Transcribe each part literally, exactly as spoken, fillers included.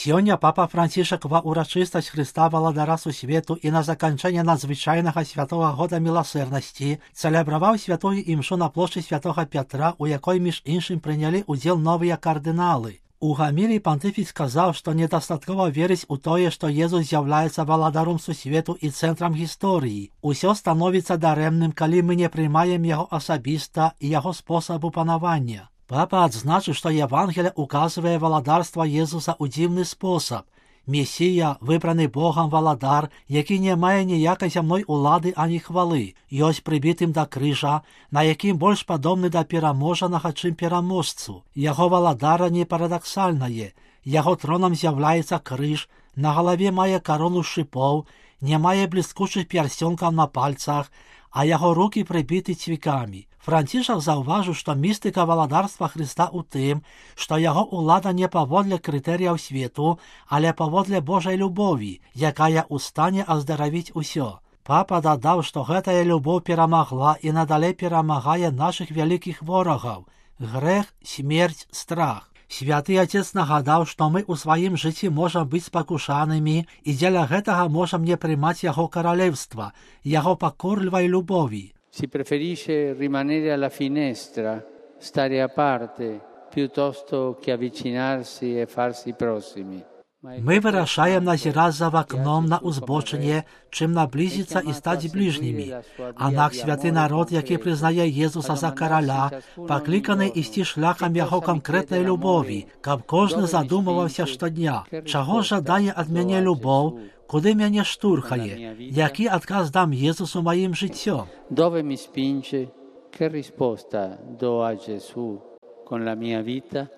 Сёння папа Францішак ва ўрачыстасць Хрыста Валадара сусвету і на заканчэнне надзвычайнага святого года міласэрнасці цэлебраваў святую імшу на плошчы святого Пятра, у якой між іншым прынялі ўдзел новыя кардыналы. У гамілі пантыфік сказаў, што недастаткова верыць у тое, што Езус з'яўляецца валадаром сусвету і цэнтрам гісторыі. Усё становіцца дарэмным, калі мы не прымаем яго асабіста і яго спосабу панавання. Папа адзначыў, што Евангелие указвае валадарства Езуса ў дзіўны спосаб. Месія, выбраны Богам валадар, які не мае ніякай зямной улады ані хвалы, ёсць прыбітым да крыжа, на якім больш падобны да пераможанага, чым пераможцу. Яго валадара не парадаксальнае. Яго тронам з'яўляецца крыж, на галаве мае карону шыпоў, не мае бліскучых пярсёнкаў на пальцах, а яго рукі прыбіты цвікамі. Францішак заўважыў, што містыка валадарства Хрыста ў тым, што яго ўлада не паводле крытэрыяў свету, але паводле Божай любові, якая ў стане аздаравіць усё. Папа дадаў, што гэтая любоў перамагла і надалей перамагае нашых вялікіх ворагаў – грэх, смерць, страх. Святы Отец нагадаў, што мы ў сваім жыцці можам быць спакушанымі і дзеля гэтага можам не прымаць яго каралевства, яго пакорлівай любові. Si preferisce rimanere alla finestra, stare a parte, piuttosto che avvicinarsi e farsi prossimi. Мы вырашаем назіраць за вакном на ўзбочыне, чым наблізіцца і стаць бліжнімі. Аднак святы народ, які прызнае Езуса за караля, пакліканы ісці шляхам яго канкрэтнай любові, каб кожны задумываўся штодня, чаго жадае ад мяне любоў, куды мяне штурхае, які адказ дам Езусу маім жыццём. Dove mi spinge? Che risposta do a Gesù con la mia vita?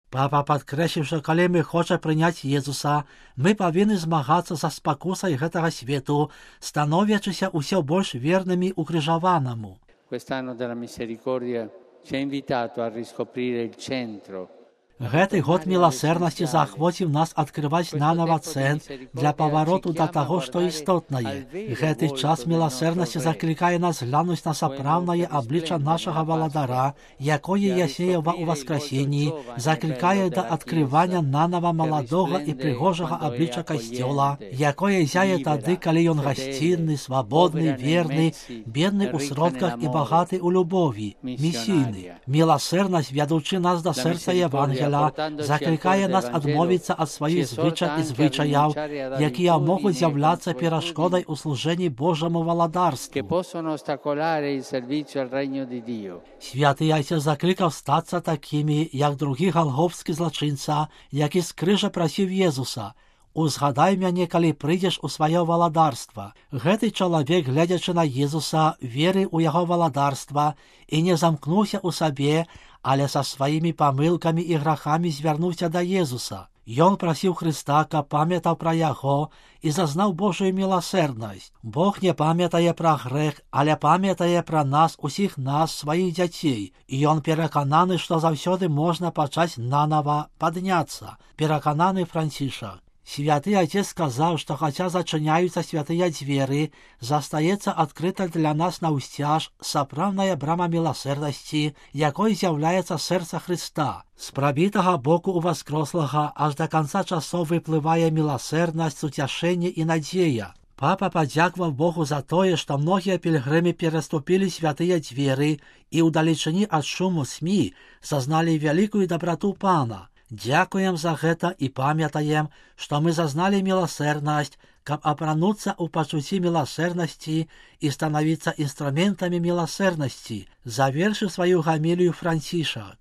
Папа падкрэсліў, што калі мы хочам прыняць Езуса, мы павінны змагацца са спакусай гэтага свету, становячыся ўсё больш вернымі укрыжаванаму. Quest'anno della misericordia ci ha invitato a riscoprire il centro. Гэты год міласэрнасці заахвоціў нас адкрываць нанава цэнт для павароту да таго, што істотнае. Гэты час міласэрнасці заклікае нас глянуць на сапраўднае аблічча нашага валадара, якое ясеява ў васкрасенні, заклікае да адкрывання нанава маладога і прыгожага аблічча касцёла, якое зяе тады, калі ён гасцінны, свабодны, верны, бедны ў сродках і багаты ў любові, місійны. Міласэрнасць, вядучы нас да сэрца Евангелія, заклікае нас адмовіцца ад сваіх звычак і звычаяў, якія могуць з'яўляцца перашкодай у служэнні Божаму валадарству. Святы Отец заклікаў стацца такімі, як другі галгофскі злачынца, які з крыжа прасіў Езуса: «Узгадай мяне, калі прыйдзеш у сваё валадарства». Гэты чалавек, глядзячы на Езуса, верыў у яго валадарства і не замкнуўся ў сабе, але са сваімі памылкамі і грахамі звярнуўся да Езуса. Ён прасіў Хрыста, каб памятаў пра яго і зазнаў Божую міласэрнасць. Бог не памятае пра грэх, але памятае пра нас, усіх нас, сваіх дзяцей. І ён перакананы, што заўсёды можна пачаць нанава, падняцца. Перакананы Францішак. Святы Отец сказаў, што хаця зачыняюцца святыя дзверы, застаецца адкрыта для нас наўсцяж сапраўдная брама міласэрнасці, якой з'яўляецца сэрца Хрыста. З прабітага боку ў васкрослага аж да канца часоў выплывае міласэрнасць, суцяшэнне і надзея. Папа падзякаваў Богу за тое, што многія пільгрымы пераступілі святыя дзверы і ў далечыні ад шуму смі зазналі вялікую дабрату Пана. Дзякуем за гэта і памятаем, што мы зазналі міласэрнасць, каб апрануцца ў пачуцці міласэрнасці і станавіцца інструментамі міласэрнасці, завершыў сваю гамілію Францішак.